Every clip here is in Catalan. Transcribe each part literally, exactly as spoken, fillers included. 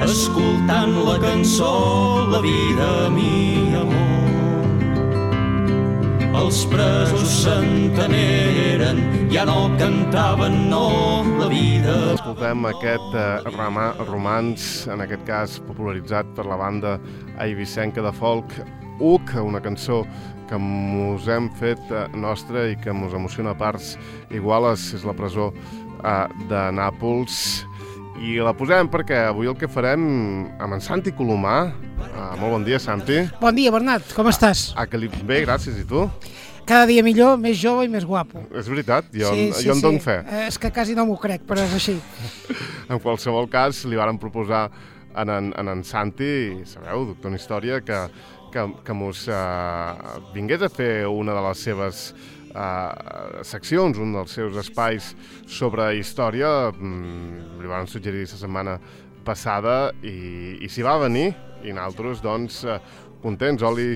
escoltant la cançó La vida, mi amor. Els presos s'enteneren, ja no cantaven, no, la vida. Escoltem aquest eh, rama, romanç, en aquest cas popularitzat per la banda eivissenca de folk U C, una cançó que mos hem fet eh, nostra i que mos emociona a parts iguales, és la presó eh, de Nàpols. I la posem perquè avui el que farem amb en Santi Colomà. Uh, molt bon dia, Santi. Bon dia, Bernat. Com estàs? Ah, que li... Bé, gràcies. I tu? Cada dia millor, més jove i més guapo. És veritat? Jo, sí, sí, jo en sí. dono fe. Eh, és que quasi no m'ho crec, però és així. En qualsevol cas, li varen proposar en en, en, en Santi, sabeu, doctor en Història, que, que, que mos uh, vingués a fer una de les seves uh, seccions, un dels seus espais sobre història. Mm, li van suggerir la setmana passada i, i s'hi va venir, i nosaltres, doncs, uh, contents, oli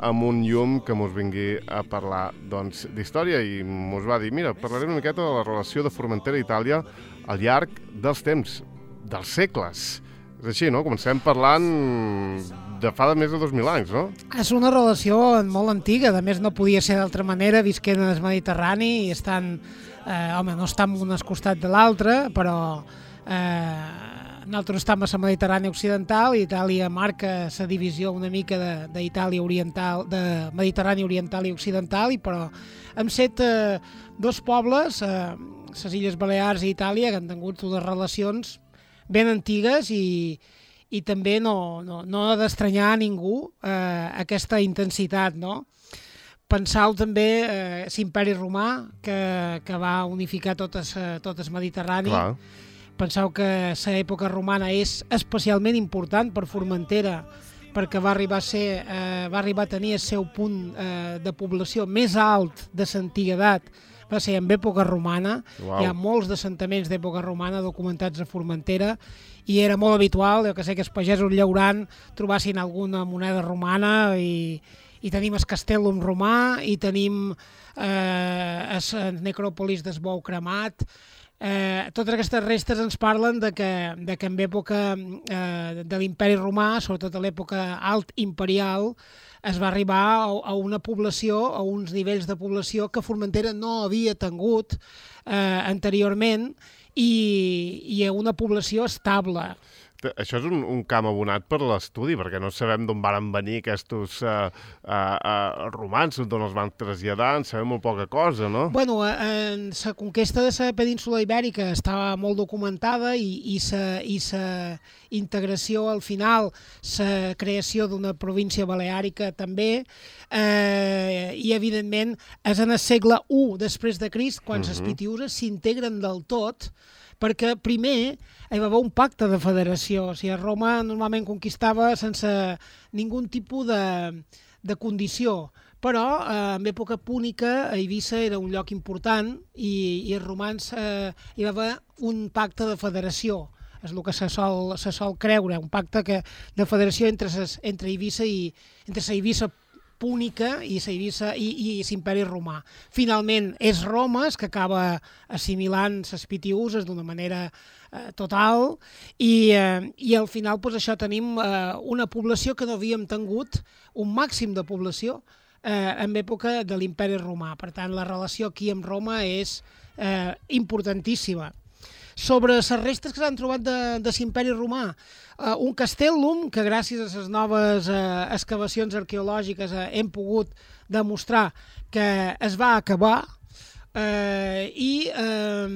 amb un llum que mos vingui a parlar doncs, d'història, i mos va dir, mira, parlarem una miqueta de la relació de Formentera i Itàlia al llarg dels temps, dels segles. És així, no? Comencem parlant de fa de més de dos mil anys, no? És una relació molt antiga, a més no podia ser d'altra manera, visquent en el Mediterrani i estan, eh, home, no estan un al costat de l'altre, però eh, nosaltres estem a la Mediterrània occidental i Itàlia marca la divisió una mica d'Itàlia oriental, de Mediterrània oriental i occidental, i però hem set eh, dos pobles, eh, les Illes Balears i Itàlia, que han tingut unes relacions ben antigues i, i també no, no, no ha d'estranyar a ningú eh, aquesta intensitat, no? Pensau també eh, l'imperi romà que, que va unificar tot el, tot el Mediterrani. Clar. Penseu que l'època romana és especialment important per Formentera, perquè va arribar a, ser, eh, va arribar a tenir el seu punt eh, de població més alt de l'antiguitat, va ser en època romana. Uau. Hi ha molts assentaments d'època romana documentats a Formentera i era molt habitual, jo que sé, que els pagesos llaurant trobassin alguna moneda romana, i, i tenim el Castellum romà i tenim eh, el necròpolis del Bou cremat. Eh, totes aquestes restes ens parlen de que, de que en època eh, de l'imperi romà, sobretot a l'època alt imperial, es va arribar a, a una població, a uns nivells de població que Formentera no havia tingut eh, anteriorment, i, i a una població estable. Això és un, un camp abonat per l'estudi, perquè no sabem d'on van venir aquests uh, uh, uh, romans, d'on els van traslladar, en sabem molt poca cosa, no? Bueno, en la conquesta de la península ibèrica estava molt documentada, i, i la i sa integració al final, la creació d'una província baleàrica també, eh, i evidentment és en el segle u després de Crist quan les Uh-huh. pitiüses s'integren del tot, perquè primer hi va haver un pacte de federació. O sigui, Roma normalment conquistava sense ningú tipus de, de condició, però eh, en època púnica a Eivissa era un lloc important, i, i els romans eh, hi va haver un pacte de federació. És el que se sol, se sol creure, un pacte que, de federació entre, ses, entre Eivissa i entre la Eivissa púnica i Eivissa i, i l'imperi romà. Finalment és Roma que acaba assimilant les pitiüses d'una manera eh, total, i, eh, i al final pues, això tenim eh, una població que no havíem tingut, un màxim de població eh, en època de l'imperi romà. Per tant, la relació aquí amb Roma és eh, importantíssima. Sobre les restes que s'han trobat de, de l'imperi romà, uh, un castellum que gràcies a les noves uh, excavacions arqueològiques uh, hem pogut demostrar que es va acabar, uh, i uh,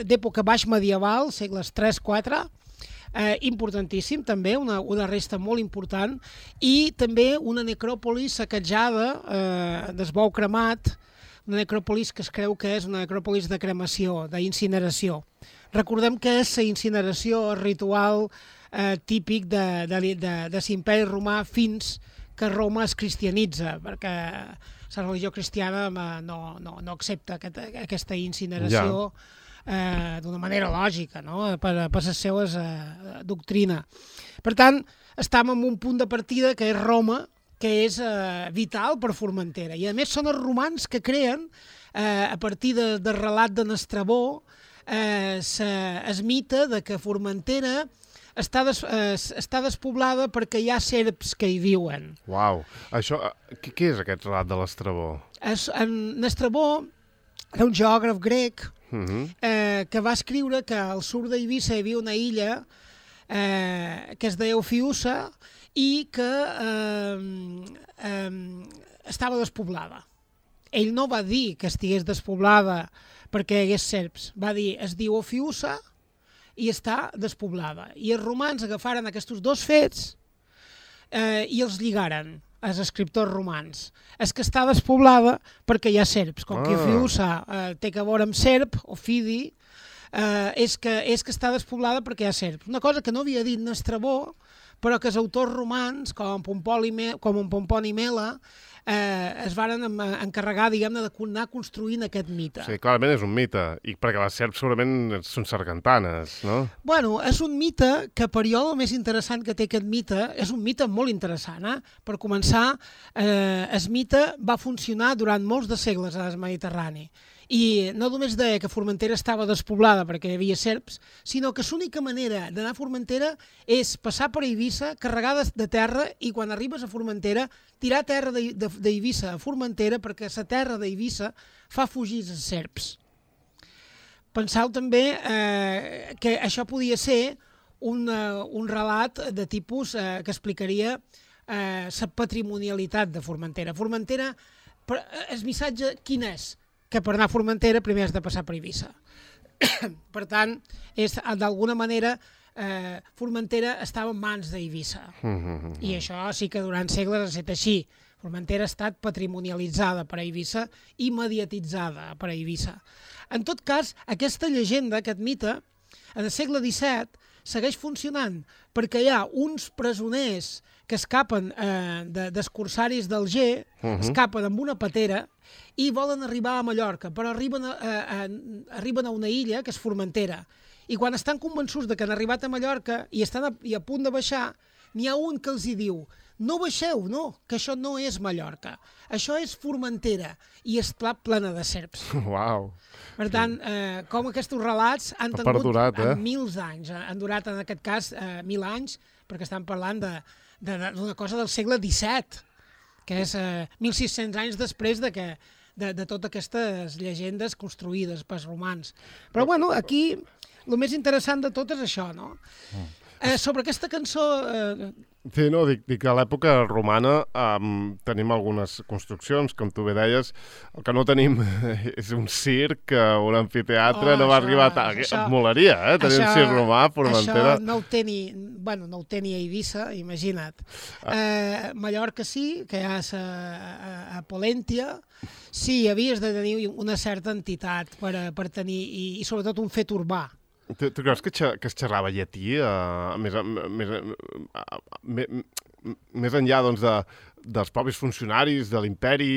d'època baix medieval, segles tres quatre, uh, importantíssim també, una, una resta molt important, i també una necròpoli saquejada uh, del Bou cremat, una necròpolis que es creu que és una necròpolis de cremació, d'incineració. Recordem que és la incineració ritual eh, típic de, de, de, de l'imperi romà fins que Roma es cristianitza, perquè la religió cristiana no, no, no accepta aquest, aquesta incineració eh, d'una manera lògica, no? per, per les seues eh, doctrina. Per tant, estem en un punt de partida que és Roma, que és eh, vital per Formentera. I a més són els romans que creen, eh, a partir de, del relat de Estrabó, eh, es mite de que Formentera està, des, eh, està despoblada perquè hi ha serps que hi viuen. Uau, això, què, què és aquest relat de l'Estrabó? Es, en Estrabó era un geògraf grec Uh-huh. eh, que va escriure que al sud d'Eivissa hi havia una illa eh, que es deia Ofiusa i que eh, eh, estava despoblada. Ell no va dir que estigués despoblada perquè hi hagués serps, va dir es diu Ofiusa i està despoblada. I els romans agafaren aquests dos fets eh, i els lligaren, els escriptors romans. És que està despoblada perquè hi ha serps. Com ah. que Ofiusa eh, té que veure amb serp, Ofidi, eh, és, que, és que està despoblada perquè hi ha serps. Una cosa que no havia dit Estrabó, però que els autors romans, com, Pomponi, com en Pomponi Mela, eh, es varen encarregar, diguem-ne, d'anar construint aquest mite. Sí, clarament és un mite, i perquè les serps segurament són sargantanes, no? Bueno, és un mite que, per jo, el més interessant que té aquest mite, és un mite molt interessant, eh? Per començar, eh, el mite va funcionar durant molts de segles al Mediterrani. I no només deia que Formentera estava despoblada perquè hi havia serps, sinó que l'única manera d'anar a Formentera és passar per Eivissa, carregar de terra, i quan arribes a Formentera, tirar terra d'Eivissa a Formentera perquè la terra d'Eivissa fa fugir els serps. Pensau també eh, que això podia ser un, uh, un relat de tipus eh, que explicaria la eh, patrimonialitat de Formentera. Formentera, el missatge quin és? Que per anar a Formentera primer has de passar per Eivissa. Per tant, és d'alguna manera eh, Formentera estava en mans d'Eivissa. Mm-hmm. I això sí que durant segles ha estat així. Formentera ha estat patrimonialitzada per Eivissa i mediatitzada per Eivissa. En tot cas, aquesta llegenda, aquest mite, en el segle disset segueix funcionant perquè hi ha uns presoners que escapen eh, de, dels corsaris d'Alger, uh-huh. escapen amb una patera i volen arribar a Mallorca, però arriben a, a, a, arriben a una illa que és Formentera. I quan estan convençuts de que han arribat a Mallorca i estan a, i a punt de baixar, n'hi ha un que els hi diu no baixeu, no, que això no és Mallorca, això és Formentera, i és clar plena de serps. Uau! Per tant, eh, com aquests relats han ha tingut perdurat, eh? mils anys, han durat en aquest cas eh, mil anys, perquè estan parlant de d'una cosa del segle disset, que és eh, mil sis-cents anys després de, que, de, de totes aquestes llegendes construïdes pels romans. Però, bueno, aquí el més interessant de tot és això, no? Eh, sobre aquesta cançó... Eh, Sí, no, dic, dic que a l'època romana um, tenim algunes construccions, com tu bé deies. El que no tenim és un circ, un amfiteatre, oh, no va això, arribar a... Això, et molaria, eh? Tenir això, un circ romà a Formentera. Això no ho té ni, bueno, no ho té ni a Eivissa, imagina't. Ah. Eh, Mallorca sí, que hi ha a, a, a Polèntia, sí, havies de tenir una certa entitat per, per tenir, i, i sobretot un fet urbà. Tu, tu creus que, que es xerrava llatí uh, més, més, uh, més, més enllà doncs, de, dels propis funcionaris de l'imperi,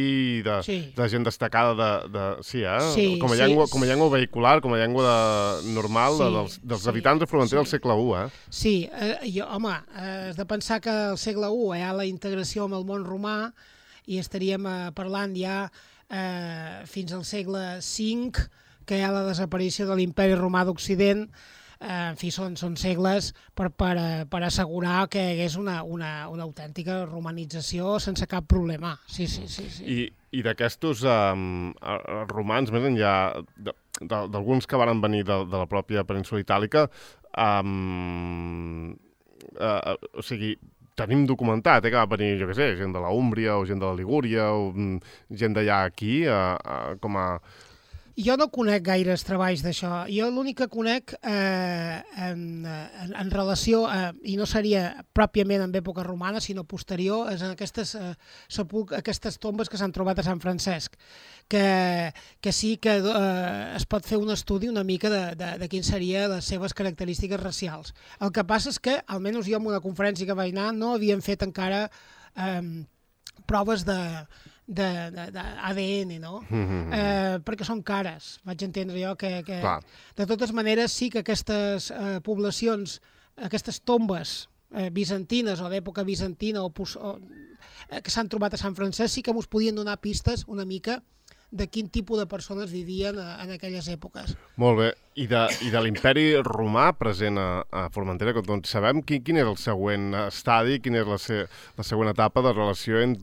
de, sí. de gent destacada de, de, sí, eh? sí, com, a llengua, sí. com a llengua vehicular, com a llengua de, normal sí, de, dels, dels sí, habitants de Formentera sí. del segle u, eh? Sí, eh, jo, home, eh, has de pensar que al segle u hi ha la integració amb el món romà i estaríem eh, parlant ja eh, fins al segle cinc, que hi ha la desaparició de l'imperi romà d'Occident. Eh, en fi, són, són segles per, per, per assegurar que hi hagués una, una, una autèntica romanització sense cap problema. Sí, sí, sí. sí. I, i d'aquestos um, romans, més enllà d'alguns que van venir de, de la pròpia península itàlica, um, uh, o sigui, tenim documentat eh, que va venir, jo què sé, gent de la Úmbria o gent de la Ligúria o um, gent d'allà aquí, uh, uh, com a... Jo no conec gaires treballs d'això. Jo l'únic que conec eh, en, en, en relació, eh, i no seria pròpiament en època romana, sinó posterior, és en aquestes, eh, sepulc, aquestes tombes que s'han trobat a Sant Francesc, que, que sí que eh, es pot fer un estudi una mica de, de, de quins serien les seves característiques racials. El que passa és que, almenys jo en una conferència que vaig anar, no havien fet encara eh, proves de... d'A D N, no? Mm-hmm. Eh, perquè són cares. Vaig entendre jo que, que de totes maneres sí que aquestes eh, poblacions, aquestes tombes eh, bizantines o d'època bizantina o, o, eh, que s'han trobat a Sant Francesc sí que ens podien donar pistes una mica de quin tipus de persones vivien en aquelles èpoques. Molt bé. I de, i de l'imperi romà present a, a Formentera, doncs sabem quin, quin és el següent estadi, quina és la, se, la següent etapa de relació en,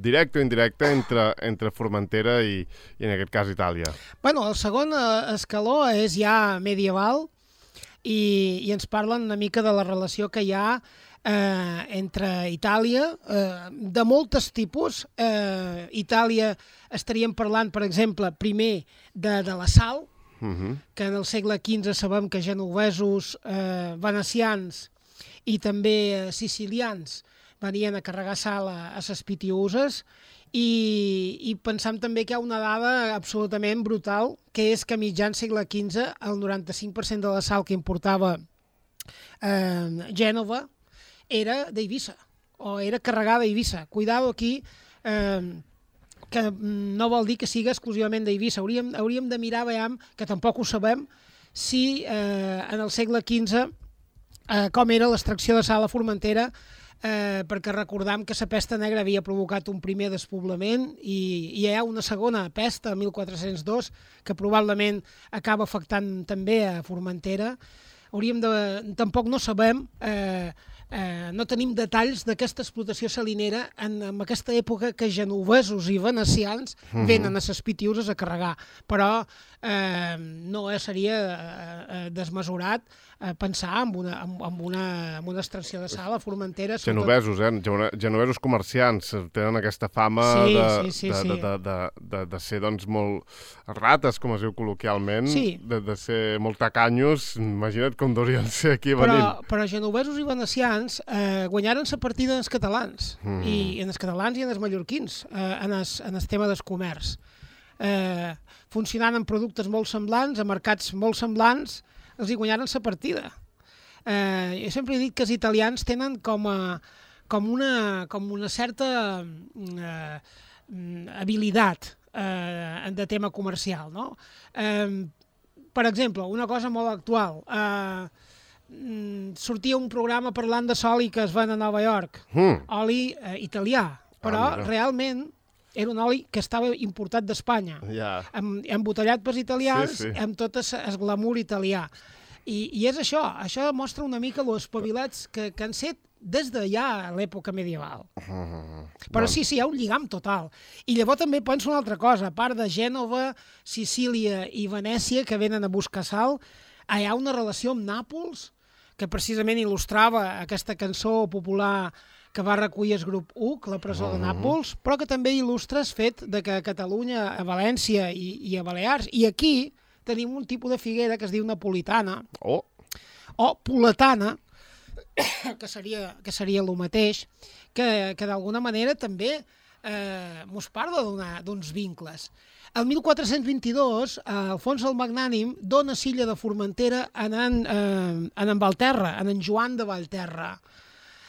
directa o indirecta entre, entre Formentera i, i, en aquest cas, Itàlia? Bueno, el segon escaló és ja medieval i, i ens parlen una mica de la relació que hi ha Eh, entre Itàlia, eh, de moltes tipus. Eh, Itàlia estaríem parlant, per exemple, primer de, de la sal, uh-huh. que en el segle quinze sabem que genovesos, eh, venecians i també eh, sicilians venien a carregar sal a, a ses Pitiüses, i, i pensam també que hi ha una dada absolutament brutal, que és que a mitjan segle quinze el noranta-cinc per cent de la sal que importava eh, Gènova era d'Eivissa, o era carregada a Eivissa. Cuidado aquí, eh, que no vol dir que siga exclusivament d'Eivissa. Hauríem, hauríem de mirar, veiem, que tampoc ho sabem, si eh, en el segle quinze eh, com era l'extracció de sal a Formentera, eh, perquè recordam que la pesta negra havia provocat un primer despoblament i, i hi ha una segona pesta, mil quatre-cents dos, que probablement acaba afectant també a Formentera. Hauríem de... Tampoc no sabem... Eh, Eh, no tenim detalls d'aquesta explotació salinera en, en aquesta època que genovesos i venecians uh-huh. venen a ses Pitiüses a carregar, però eh, no seria eh, desmesurat eh, pensar en una, en, en, una, en una extracció de sal a Formentera. Genovesos, eh? Genovesos comerciants tenen aquesta fama sí, de, sí, sí, de, sí. de, de, de, de, de ser doncs, molt rates, com es diu col·loquialment, sí. de, de ser molt tacanyos. Imagina't com deurien ser aquí però, venint. Però genovesos i venecians Eh, guanyaren la partida en els catalans, mm. i en els catalans i en els mallorquins, eh, en, el, en el tema del comerç. Eh, funcionant amb productes molt semblants, a mercats molt semblants, els hi guanyaren la partida. Eh, jo sempre he dit que els italians tenen com, a, com, una, com una certa eh, habilitat eh, de tema comercial, no? Eh, per exemple, una cosa molt actual... Eh, sortia un programa parlant de oli que es ven a Nova York, mm. oli eh, italià, però ah, realment era un oli que estava importat d'Espanya, yeah. embotellat pels italians, sí, sí. amb tot el glamour italià. I, i és això, això mostra una mica els espavilats que, que han set des de ja l'època medieval. Uh, però bon. sí, sí, hi ha un lligam total. I llavors també penso una altra cosa, a part de Gènova, Sicília i Venècia, que venen a buscar sal, hi ha una relació amb Nàpols, que precisament il·lustrava aquesta cançó popular que va recollir el grup U C, la presó de Nàpols, però que també il·lustra el fet de que a Catalunya, a València i, i a Balears, i aquí tenim un tipus de figuera que es diu napolitana, oh. o poletana, que seria, que seria el mateix, que, que d'alguna manera també eh, mos parla d'uns vincles. El mil quatre-cents vint-i-dos, eh, Alfons el Magnànim dona Silla de Formentera en en, eh, en, en Valterra, en en Joan de Valterra.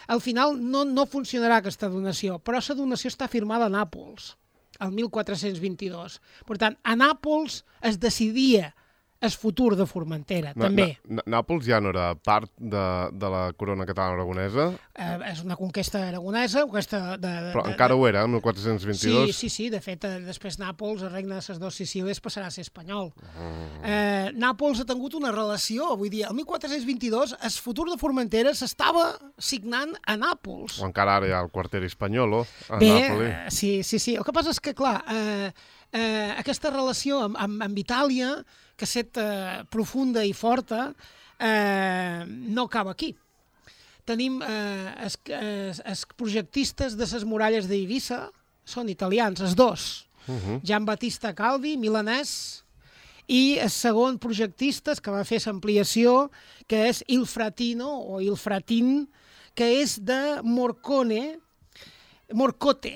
Al final no, no funcionarà aquesta donació, però la donació està firmada a Nàpols, el mil quatre-cents vint-i-dos. Per tant, a Nàpols es decidia el futur de Formentera, na, també. Na, Nàpols ja no era part de, de la corona catalana aragonesa? Eh, és una conquesta aragonesa, conquesta de... de Però de, encara de... ho era, el mil quatre-cents vint-i-dos? Sí, sí, sí, de fet, eh, després Nàpols, el regne de les dues Sicílies, passarà a ser espanyol. Mm. Eh, Nàpols ha tingut una relació, vull dir, el mil quatre-cents vint-i-dos el futur de Formentera s'estava signant a Nàpols. O encara ara hi ha el quarter espanyol, a Bé, Nàpoli. Eh, sí, sí, sí. El que passa és que, clar, eh, eh, aquesta relació amb, amb, amb Itàlia, que set eh, profunda i forta, eh, no acaba aquí. Tenim eh, els, els, els projectistes de les muralles d'Eivissa, són italians, els dos. Uh-huh. Gian Battista Calvi, milanès, i el segon projectista que va fer l'ampliació, que és Il Fratino, o Il Fratin, que és de Morcone, Morcote,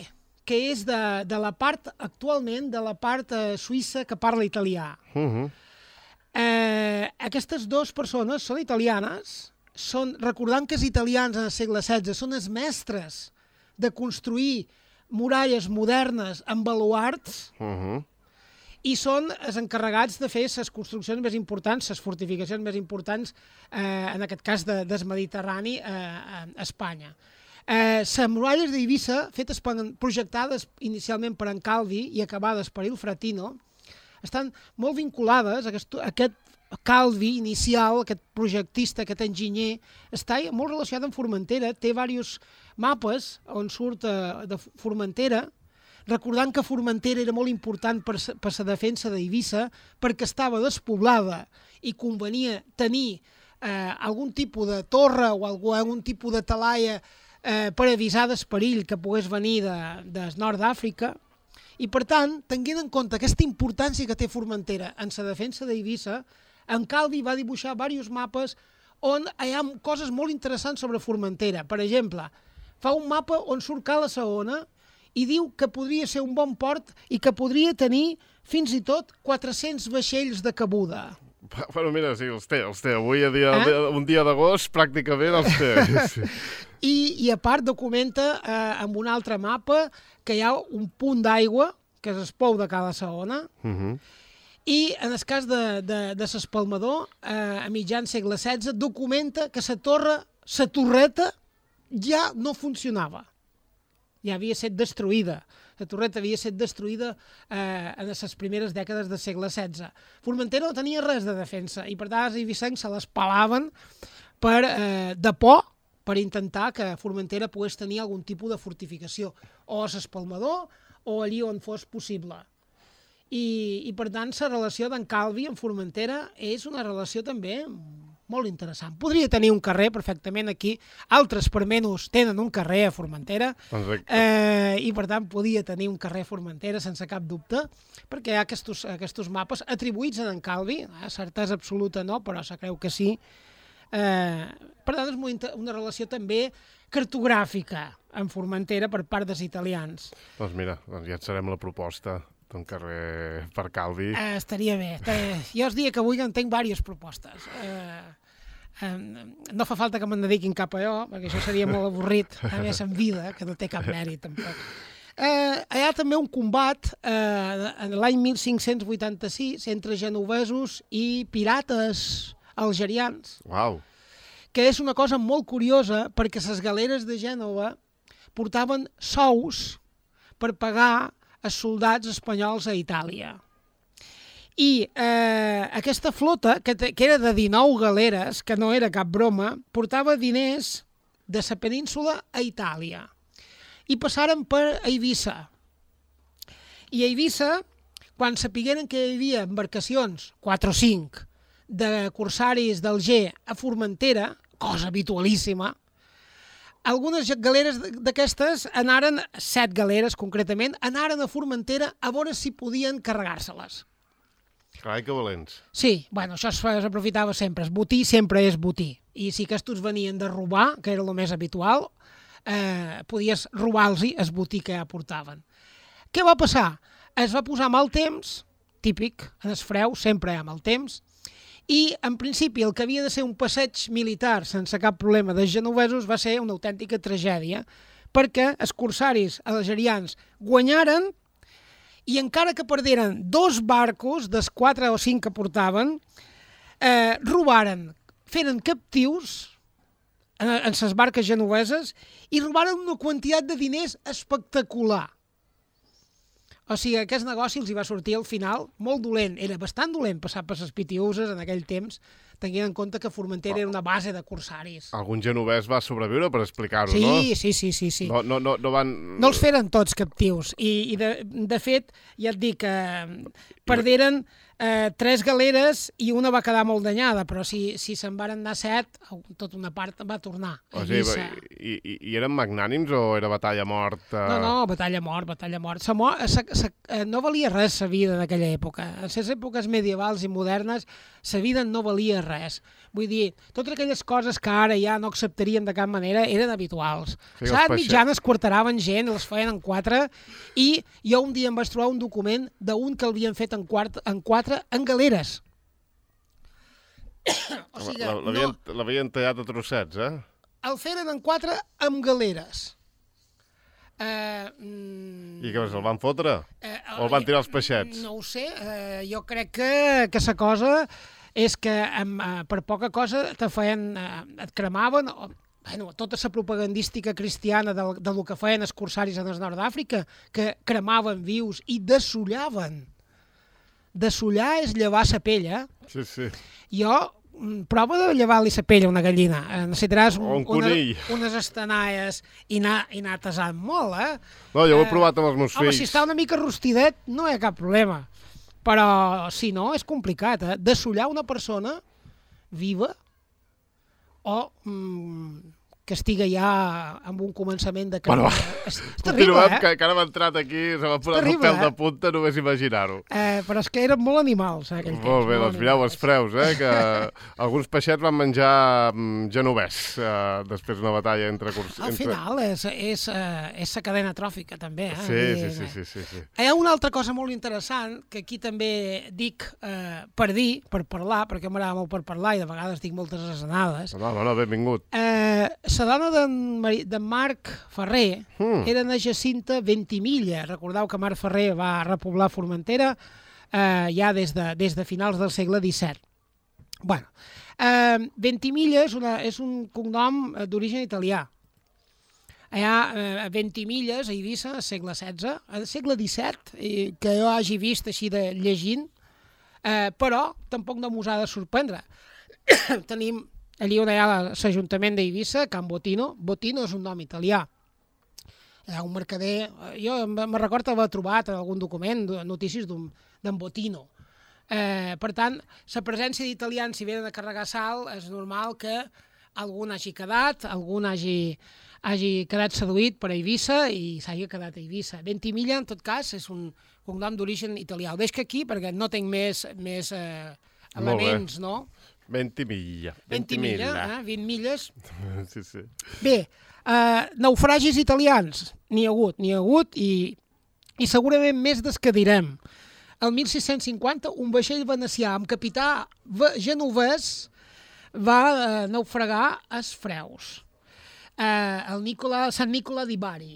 que és de, de la part, actualment, de la part eh, suïssa que parla italià. Uh-huh. Eh, aquestes dues persones són italianes, són, recordant que els italians en el segle setze són els mestres de construir muralles modernes amb baluards, uh-huh. i són els encarregats de fer les construccions més importants, les fortificacions més importants, eh, en aquest cas de, del Mediterrani, eh, a Espanya. Eh, les muralles d'Eivissa, fetes per, projectades inicialment per en Calvi i acabades per Il Fratino, estan molt vinculades a aquest, a aquest Calvi inicial, aquest projectista, aquest enginyer, està molt relacionat amb Formentera, té diversos mapes on surt eh, de Formentera, recordant que Formentera era molt important per, per la defensa d'Eivissa perquè estava despoblada i convenia tenir eh, algun tipus de torre o algun, algun tipus de talaia eh, per avisar del perill que pogués venir de, de nord d'Àfrica. I, per tant, tenint en compte aquesta importància que té Formentera en la defensa d'Eivissa, en Calvi va dibuixar diversos mapes on hi ha coses molt interessants sobre Formentera. Per exemple, fa un mapa on surt Cala Saona i diu que podria ser un bon port i que podria tenir fins i tot quatre-cents vaixells de cabuda. Bueno, mira, sí, els té, els té. Avui, a dia, eh? un dia d'agost, pràcticament els té. Sí. I, I a part documenta eh, amb un altre mapa que hi ha un punt d'aigua, que és el pou de Cala Saona, uh -huh. I en el cas de, de, de l'Espalmador, eh, a mitjan segle setze, documenta que la torre, la torreta, ja no funcionava. Ja havia estat destruïda. La torreta havia estat destruïda eh, en les primeres dècades del segle setze. Formentera no tenia res de defensa i per tant els eivissencs se les pelaven per, eh, de por per intentar que Formentera pogués tenir algun tipus de fortificació, o a l'Espalmador o allí on fos possible. I, i per tant la relació d'en Calvi amb Formentera és una relació també molt interessant. Podria tenir un carrer perfectament aquí, altres per menys tenen un carrer a Formentera, eh, i per tant podia tenir un carrer a Formentera sense cap dubte, perquè hi ha aquests, aquests mapes atribuïts a en Calvi, eh, certesa absoluta no, però se creu que sí. Eh, per tant és una relació també cartogràfica amb Formentera per part dels italians. Doncs mira, doncs ja et serem la proposta d'un carrer per Calvi. Eh, estaria bé. Estaria... Jo us diria que avui en tinc diverses propostes. Eh, eh, no fa falta que me'n dediquin cap a jo, perquè això seria molt avorrit, a més en vida, que no té cap mèrit tampoc. Eh, hi ha també un combat eh, en l'any mil cinc-cents vuitanta-sis entre genovesos i pirates algerians. Uau! Que és una cosa molt curiosa perquè les galeres de Gènova portaven sous per pagar els soldats espanyols a Itàlia. I eh, aquesta flota, que, te, que era de dinou galeres, que no era cap broma, portava diners de la península a Itàlia. I passaren per Eivissa. I a Eivissa, quan sapigueren que hi havia embarcacions, quatre o cinc, de corsaris d'Alger a Formentera, cosa habitualíssima, algunes galeres d'aquestes anaren, set galeres concretament, anaren a Formentera a veure si podien carregar-se-les. Carai, que valents. Sí, bueno, això s'aprofitava sempre. El botí sempre és botí. I si aquests venien de robar, que era el més habitual, eh, podies robar-los el botí que ja portaven. Què va passar? Es va posar mal temps, típic, en el freu, sempre hi ha mal temps, i, en principi, el que havia de ser un passeig militar sense cap problema dels genovesos va ser una autèntica tragèdia, perquè els corsaris algerians guanyaren i encara que perderen dos barcos, dels quatre o cinc que portaven, eh, robaren, feren captius en, en les barques genoveses i robaren una quantitat de diners espectacular. O sigui, aquest negoci els hi va sortir al final molt dolent. Era bastant dolent passar per les pitiuses en aquell temps, tenint en compte que Formentera era una base de corsaris. Algun genovès va sobreviure per explicar-ho, sí, no? Sí, sí, sí, sí. No, no, no, no van... No els feren tots captius. I, i de, de fet, ja et dic que perderen eh, tres galeres i una va quedar molt danyada, però si, si se'n van anar set, tota una part va tornar a Eivissa. O sigui, i, i, I eren magnànims o era batalla mort? Eh... No, no, batalla mort, batalla mort. Sa mort sa, sa, no valia res la vida d'aquella època. En les èpoques medievals i modernes, la vida no valia res. Vull dir, totes aquelles coses que ara ja no acceptaríem de cap manera eren habituals. Sí, L'edat mitjana es quarteraven gent, les feien en quatre, i jo un dia em vaig trobar un document d'un que l'havien fet en, quart, en quatre en galeres. O sigui, l'havien no... tallat a trossets, eh? El feren en quatre amb galeres. Uh, mm, I què més, el van fotre? Uh, o el van tirar els peixets? No ho sé, uh, jo crec que que la cosa és que amb, uh, per poca cosa te feien, uh, et cremaven, o, bueno, tota la propagandística cristiana del, del que feien els corsaris en el nord d'Àfrica, que cremaven vius i dessullaven. Dessullar és llevar la pell, eh? Sí, sí. Jo, prova de llevar-li la pell a una gallina. Necessitaràs O un una, conill. unes estanaies i anar, i anar tasant molt, eh? No, jo ho he Eh, provat amb els meus Home, fills. si està una mica rostidet, no hi ha cap problema. Però, si no, és complicat, eh? Dessullar una persona viva o mm, que estigui ja amb un començament de Bueno, carrera. És, és terrible, Continuem, eh? que, que ara m'ha entrat aquí, se m'ha posat el terrible, pèl de eh? punta només imaginar-ho. eh? Però és que eren molt animals, eh, aquell temps. Molt bé, doncs mireu, els animals. freus, eh, que alguns peixets van menjar mm, genovès eh, després d'una batalla entre... Curs... Al entre... final és, és, eh, és la cadena tròfica, també. Eh? Sí, Vull sí, dir, sí, sí, sí, sí. Hi ha una altra cosa molt interessant que aquí també dic eh, per dir, per parlar, perquè m'agrada molt per parlar i de vegades dic moltes asenades. No, no, no, benvingut. Eh, la dona d'en Mari- d'en Marc Ferrer Mm. era na Jacinta Ventimiglia. Recordeu que Marc Ferrer va repoblar Formentera eh, ja des de, des de finals del segle disset. Bueno, eh, Ventimiglia és, una, és un cognom eh, d'origen italià. Hi ha eh, Ventimilles a Eivissa al segle setze, al segle disset, eh, que jo hagi vist així de llegint, eh, però tampoc no m'us ha de sorprendre. Tenim allí on hi ha l'Ajuntament d'Eivissa, Can Botino. Botino és un nom italià. Hi ha un mercader... Jo me recordo haver trobat en algun document notícies d'en Botino. Eh, per tant, la presència d'italians, si venen a carregar sal, és normal que algun hagi quedat, algun hagi, hagi quedat seduït per Eivissa i s'hagi quedat a Eivissa. Ventimiglia, en tot cas, és un cognom d'origen italià. El deixo aquí perquè no tinc més, més eh, elements, no? Ventimiglia. Ventimiglia, eh? vint milles. Sí, sí. Bé, eh, naufragis italians, n'hi ha hagut, n'hi ha hagut i, i segurament més des que direm. El mil sis-cents cinquanta, un vaixell venecià amb capità genovès va eh, naufragar als Freus. Eh, el Nicola, Sant Nicola di Bari.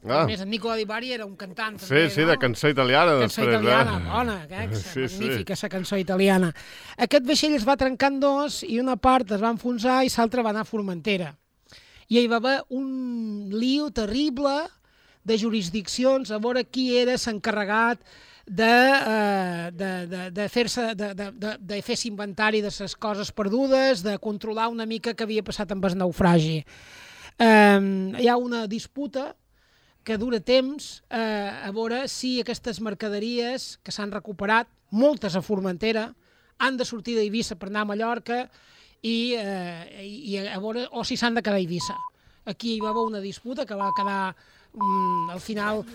Ah. A més, en Nicola di Bari era un cantant Sí, també, sí, no? de cançó italiana Cançó després. italiana, eh? bona, eh? Sí, sí. Magnífica, la cançó italiana. Aquest vaixell es va trencar en dos i una part es va enfonsar i l'altra va anar a Formentera. I hi va haver un lío terrible de jurisdiccions a veure qui era l'encarregat de, eh, de, de, de fer-se de, de, de, de fer inventari de les coses perdudes, de controlar una mica què havia passat amb el naufragi. Eh, hi ha una disputa que dura temps eh, a veure si aquestes mercaderies que s'han recuperat, moltes a Formentera, han de sortir d'Eivissa per anar a Mallorca i, eh, i a veure, o si s'han de quedar a Eivissa. Aquí hi va haver una disputa que va quedar, mm, al final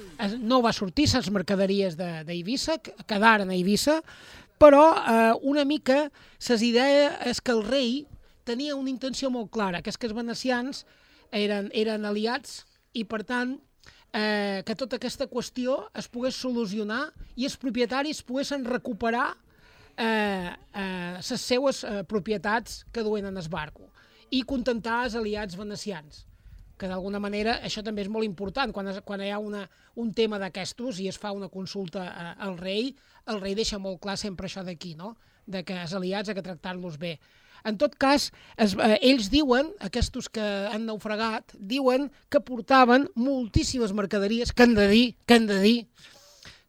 no va sortir les mercaderies d'Eivissa, de, quedaren a Eivissa, però eh, una mica les idees és que el rei tenia una intenció molt clara, que és que els venecians eren, eren aliats i per tant Eh, que tota aquesta qüestió es pogués solucionar i els propietaris poguessin recuperar eh, eh, les seues eh, propietats que duen en el barco i contentar els aliats venecians, que d'alguna manera això també és molt important. Quan, es, quan hi ha una, un tema d'aquestos i es fa una consulta eh, al rei, el rei deixa molt clar sempre això d'aquí, no? De que els aliats ha que tractar-los bé. En tot cas, es, eh, ells diuen, aquests que han naufragat, diuen que portaven moltíssimes mercaderies, que han de dir, que han de dir,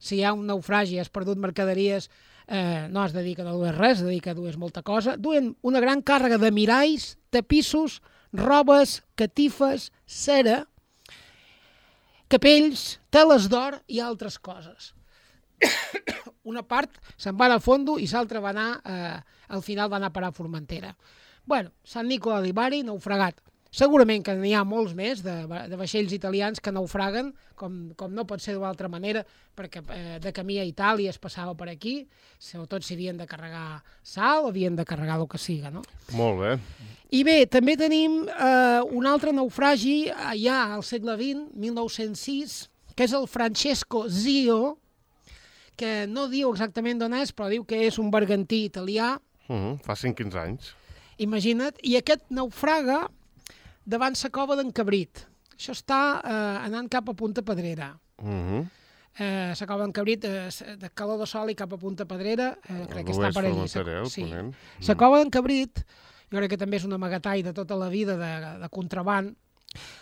si hi ha un naufragi i has perdut mercaderies, eh, no has de dir que no dues res, has de dir que dues molta cosa, duen una gran càrrega de miralls, tapissos, robes, catifes, cera, capells, teles d'or i altres coses. Una part se'n va al fondo i l'altra va anar, eh, al final va anar a parar a Formentera. Bueno, Sant Nicola di Bari, naufragat. Segurament que n'hi ha molts més de, de vaixells italians que naufraguen, com, com no pot ser d'una altra manera, perquè eh, de camí a Itàlia es passava per aquí, sobretot si havien de carregar sal o havien de carregar el que siga, no? Molt bé. I bé, també tenim eh, un altre naufragi ja al segle vint, mil nou-cents sis, que és el Francesco Zio, que no diu exactament d'on és, però diu que és un bergantí italià. Uh -huh. Fa cinc quinze anys. Imagina't. I aquest naufraga davant la cova d'en Cabrit. Això està eh, anant cap a Punta Pedrera. Uh -huh. eh, la cova d'en Cabrit, eh, de Calor de Sol i cap a Punta Pedrera, eh, crec que està per allí. Formentera, el Sí. ponent. La cova d'en Cabrit, jo crec que també és un amagatall de tota la vida de, de contraband,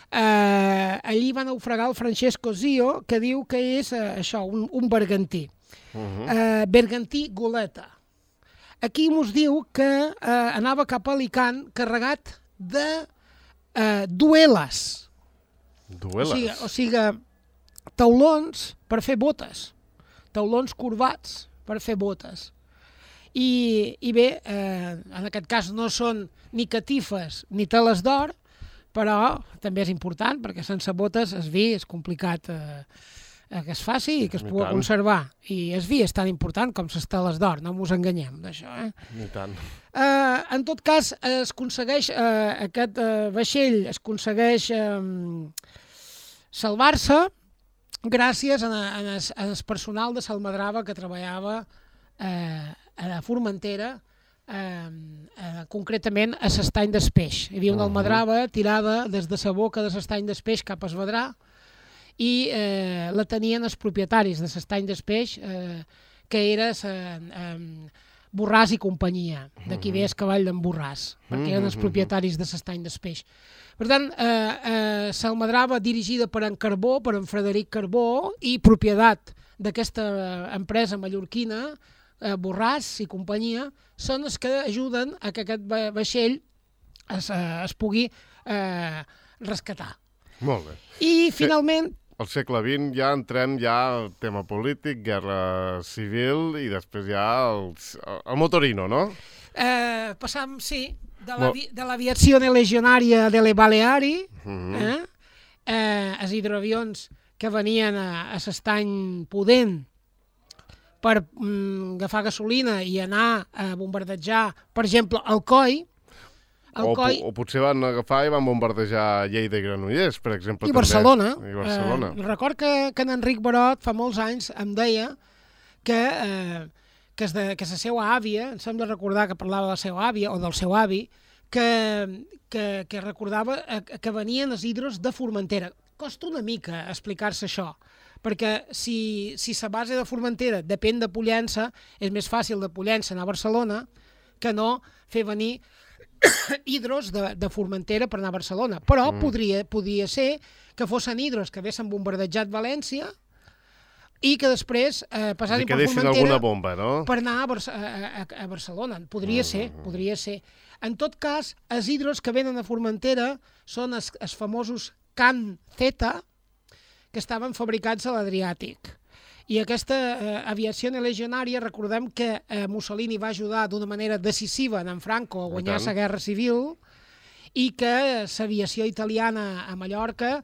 eh, allí va naufragar el Francesco Zio, que diu que és eh, això, un, un bergantí. Uh-huh. eh, bergantí goleta. Aquí mos diu que eh, anava cap a Alicant carregat de eh, dueles. Dueles? O sigui, o sigui, taulons per fer botes. Taulons corbats per fer botes. I, i bé, eh, en aquest cas no són ni catifes ni teles d'or, però també és important, perquè sense botes el vi és complicat eh, que es faci i que es pugui conservar. I el vi és tan important com les teles d'or, no ens enganyem d'això. Eh? Ni tant. Eh, en tot cas, es aconsegueix, eh, aquest eh, vaixell es aconsegueix eh, salvar-se gràcies a, a, a, a el personal de Salmadrava que treballava eh, a la Formentera, eh, eh, concretament a l'estany d'Espeix. Hi havia una almadrava tirada des de la boca de l'estany d'Espeix cap a Esvedrà i eh, la tenien els propietaris de l'estany d'Espeix, eh, que era eh, Borràs i companyia. D'aquí ve el cavall d'en Borràs, perquè eren els propietaris de l'estany d'Espeix. Per tant, eh, eh, s'almadrava dirigida per en Carbó, per en Frederic Carbó, i propietat d'aquesta empresa mallorquina, eh, Borràs i companyia, són els que ajuden a que aquest va vaixell es, eh, es pugui eh, rescatar. Molt bé. I finalment... Al segle vint ja entrem ja al tema polític, guerra civil i després ja el, el motorino, no? Eh, passam, sí, de l'aviació legionària de le Baleari, uh-huh. eh? Eh, els hidroavions que venien a, a l'estany Pudent per mm, agafar gasolina i anar a bombardejar, per exemple, Alcoi. Alcoi o, o potser van agafar i van bombardejar Lleida i Granollers, per exemple. I també. Barcelona. I Barcelona. Eh, record que, que en Enric Barot fa molts anys em deia que, eh, que, es de, que la seva àvia, em sembla recordar que parlava de la seva àvia o del seu avi, que, que, que recordava que venien els hidros de Formentera. Costa una mica explicar-se això, perquè si, si la base de Formentera depèn de Pollença, és més fàcil de Pollença anar a Barcelona que no fer venir hidros de, de Formentera per anar a Barcelona. Però mm. podria, podria ser que fossin hidros que haguessin bombardejat València i que després eh, passassin per Formentera bomba, no? per anar a, Bar a, a, a Barcelona. Podria mm. ser, podria ser. En tot cas, els hidros que venen a Formentera són els, els famosos Can Zeta, que estaven fabricats a l'Adriàtic. I aquesta eh, aviació legionària, recordem que eh, Mussolini va ajudar d'una manera decisiva en Franco a guanyar la guerra civil i que l'aviació italiana a Mallorca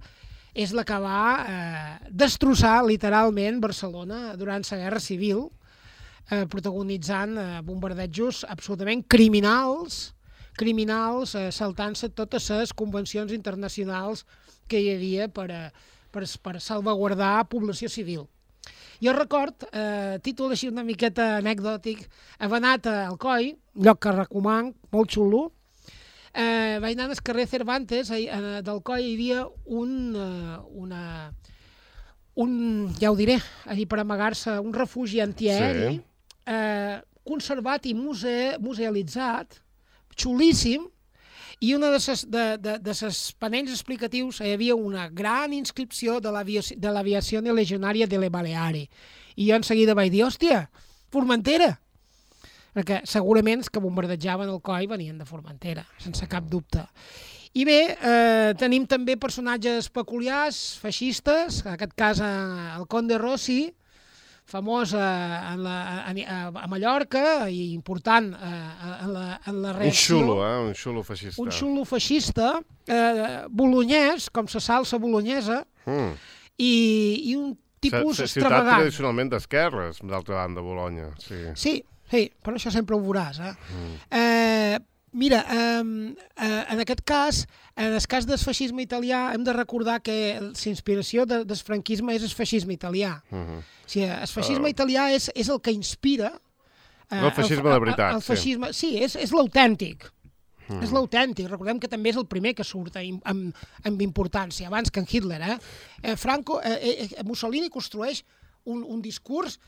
és la que va eh, destrossar literalment Barcelona durant la guerra civil, eh, protagonitzant eh, bombardejos absolutament criminals, criminals eh, saltant-se totes les convencions internacionals que hi havia per, per, per salvaguardar població civil. Jo record, eh, títol així una miqueta anècdòtic, havia anat a Alcoi, lloc que recoman, molt xulo, eh, vaig anar al carrer Cervantes, eh, d'Alcoi hi havia un, eh, una, un, ja ho diré, allí per amagar-se, un refugi antiaeri, sí. eh, conservat i muse, musealitzat, xulíssim, i una de ses, de, de, de ses panells explicatius hi havia una gran inscripció de l'aviació legionària de le Baleari. I jo en seguida vaig dir, hòstia, Formentera! Perquè segurament els que bombardejaven el Coi venien de Formentera, sense cap dubte. I bé, eh, tenim també personatges peculiars, feixistes, en aquest cas el Conde Rossi, famós a, la, a, a Mallorca i important a, a, la, en la reacció. Un xulo, eh? Un xulo feixista. Un xulo feixista, eh, bolonyès, com la salsa bolonyesa, mm. i, i un tipus S extravagant. Ciutat tradicionalment d'esquerres, d'altra banda, Bologna. Sí, sí, sí, però això sempre ho veuràs. Eh? Mm. Eh, mira, eh, eh, en aquest cas, en el cas del feixisme italià, hem de recordar que la inspiració de, del franquisme és el feixisme italià. Uh -huh. O sigui, el feixisme uh... italià és, és el que inspira... Eh, el feixisme el, de veritat, el, el feixisme, sí. Sí, és, és l'autèntic. Uh -huh. És l'autèntic. Recordem que també és el primer que surt amb, amb, amb importància, abans que en Hitler. Eh? Eh, Franco, eh, eh, Mussolini construeix un, un discurs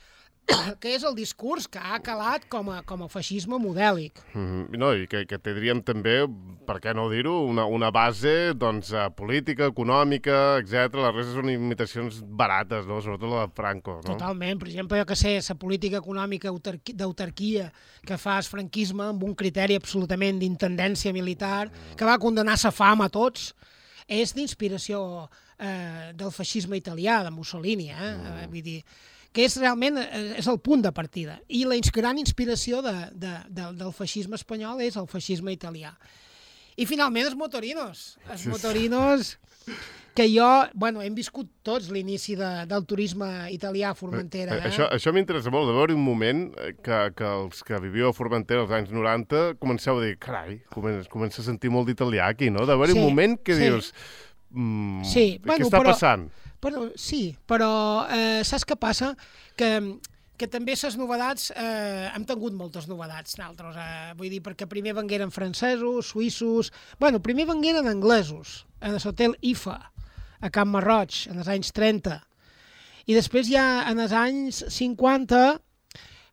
que és el discurs que ha calat com a, com a feixisme modèlic. Mm, no, i que, que tindríem també, per què no dir-ho, una, una base doncs, uh, política, econòmica, etcètera. Les restes són imitacions barates, no? Sobretot la de Franco. No? Totalment. Per exemple, jo que sé, la política econòmica d'autarquia que fa el franquisme amb un criteri absolutament d'intendència militar, que va condenar la fam a tots, és d'inspiració eh, del feixisme italià, de Mussolini, eh? Mm. Vull dir, que és realment és el punt de partida. I la gran inspiració de, de, de, del feixisme espanyol és el feixisme italià. I finalment els motorinos. Els motorinos que jo, bueno, hem viscut tots l'inici de, del turisme italià a Formentera. Eh? Això, això m'interessa molt, de veure un moment que, que els que viviu a Formentera als anys noranta comenceu a dir, carai, comença, comença a sentir molt d'italià aquí, no? De veure sí, un moment que sí. dius, mm, sí, què bueno, està però... passant? Però, sí, però eh, saps què passa? Que, que també les novedats, eh, hem tingut moltes novedats, nosaltres. Eh, vull dir, perquè primer vengueren francesos, suïssos... Bueno, primer vengueren anglesos, en l'hotel I F A, a Camp Marroig, en els anys trenta. I després ja, en els anys cinquanta,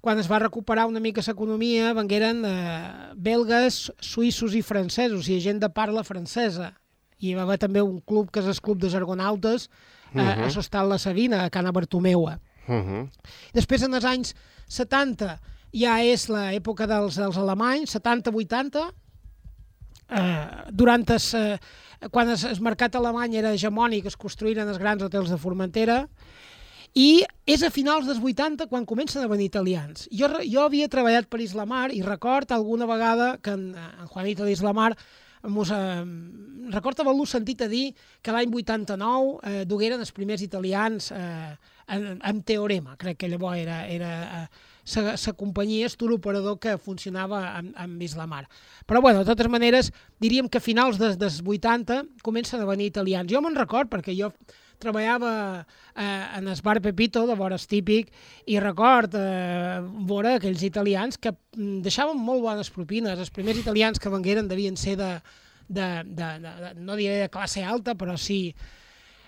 quan es va recuperar una mica l'economia, vengueren eh, belgues, suïssos i francesos, i gent de parla francesa. I hi va haver també un club, que és el Club dels Argonautes, Uh -huh. a l'Hostal La Sabina, a Cana Bartomeua. Uh -huh. Després, en els anys setanta, ja és l'època dels, dels alemanys, setanta vuitanta, eh, durant es, eh, quan el, el mercat alemany era hegemònic, es construïren els grans hotels de Formentera, i és a finals dels vuitanta quan comencen a venir italians. Jo, jo havia treballat per Islamar i record alguna vegada que en, en Juanito d'Islamar Mos, eh, record haver-lo sentit a dir que l'any vuitanta-nou eh, dugueren els primers italians eh, en, en Teorema, crec que llavors era, era eh, la companyia, el operador que funcionava amb, amb Islamar. Però, bueno, de totes maneres, diríem que a finals dels, dels vuitanta comencen a venir italians. Jo me'n record perquè jo treballava eh, en el bar Pepito, de vores típic, i record eh, veure aquells italians que deixaven molt bones propines. Els primers italians que vengueren devien ser de, de, de, de, de no diré de classe alta, però sí.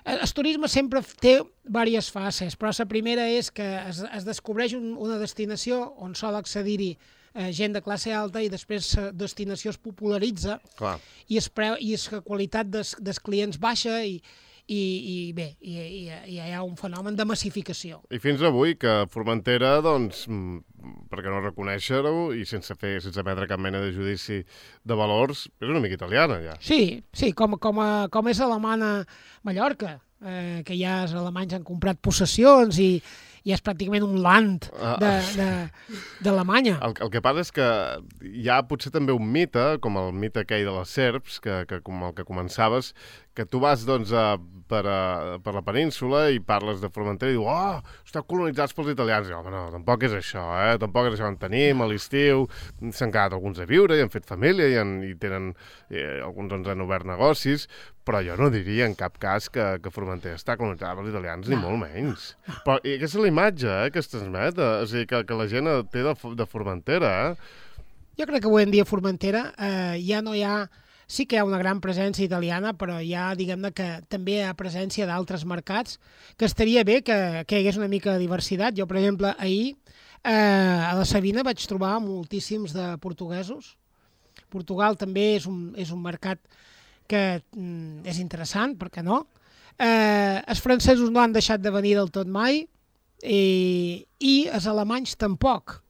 El turisme sempre té diverses fases, però la primera és que es, es descobreix un, una destinació on sol accedir-hi eh, gent de classe alta i després la destinació es popularitza. Clar. i la qualitat dels, dels clients baixa i I, i bé, i, i, i hi ha un fenomen de massificació. I fins avui, que Formentera, doncs, per què no reconèixer-ho, i sense fer, sense emetre cap mena de judici de valors, és una mica italiana, ja. Sí, sí, com, com, a, com és alemana Mallorca, eh, que ja els alemanys han comprat possessions i i és pràcticament un land d'Alemanya. El, el que passa és que hi ha potser també un mite, com el mite aquell de les serps, que, que com el que començaves, que tu vas doncs, a, per, a, per la península i parles de Formentera i dius, oh, esteu colonitzats pels italians. I, home, no, tampoc és això, eh? Tampoc és això. En tenim a l'estiu, s'han quedat alguns a viure i han fet família i, han, i tenen, eh, alguns doncs, han obert negocis, però jo no diria en cap cas que, que Formentera està colonitzada pels italians, no. Ni molt menys. Però i aquesta és la imatge eh, que es transmet, eh? És a dir, que, que la gent té de, de Formentera. Eh? Jo crec que avui en dia a Formentera eh, ja no hi ha... Sí que hi ha una gran presència italiana, però hi ha, diguem-ne, que també hi ha presència d'altres mercats, que estaria bé que, que hi hagués una mica de diversitat. Jo, per exemple, ahir eh, a la Sabina vaig trobar moltíssims de portuguesos. Portugal també és un, és un mercat que mm, és interessant, per què no? Eh, els francesos no han deixat de venir del tot mai i, i els alemanys tampoc.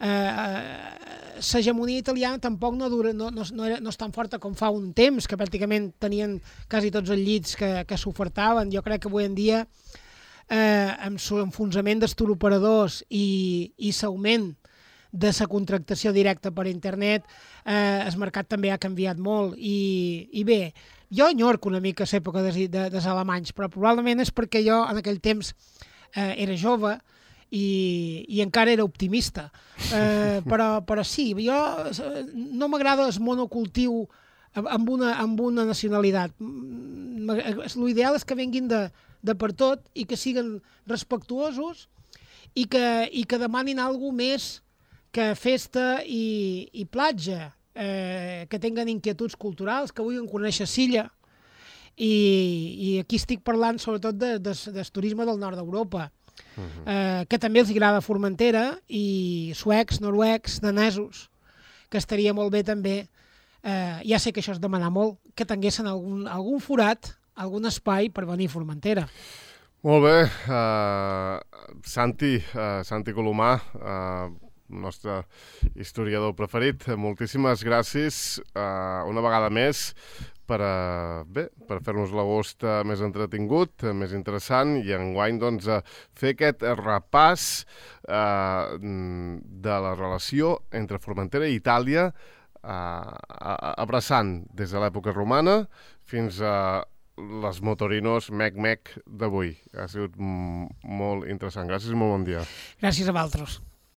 L'hegemonia eh, italiana tampoc no, dura, no, no, no, era, no és tan forta com fa un temps, que pràcticament tenien quasi tots els llits que, que s'ofertaven. Jo crec que avui en dia, eh, amb l'enfonsament dels turoperadors i, i l'augment de la contractació directa per internet, eh, el mercat també ha canviat molt. I, i bé, jo enyorco una mica l'època dels, de, dels alemanys, però probablement és perquè jo en aquell temps eh, era jove, I, i encara era optimista. Eh, però, però sí, jo no m'agrada el monocultiu amb una, amb una nacionalitat. L'ideal és que venguin de, de per tot i que siguin respectuosos i que, i que demanin alguna més que festa i, i platja, eh, que tinguen inquietuds culturals, que vulguin conèixer Silla. I, i aquí estic parlant sobretot de, de, del turisme del nord d'Europa. uh-huh. eh, que també els agrada Formentera, i suecs, noruecs, danesos, que estaria molt bé també, eh, ja sé que això és demanar molt, que tinguessin algun, algun forat, algun espai per venir a Formentera. Molt bé, uh, Santi, uh, Santi Colomà, uh, nostre historiador preferit, moltíssimes gràcies uh, una vegada més per, uh, bé, per fer-nos l'agost uh, més entretingut, uh, més interessant, i enguany doncs, uh, fer aquest repàs uh, de la relació entre Formentera i Itàlia, uh, abraçant des de l'època romana fins a les motorinos mec-mec d'avui. Ha sigut molt interessant. Gràcies i molt bon dia. Gràcies a vosaltres.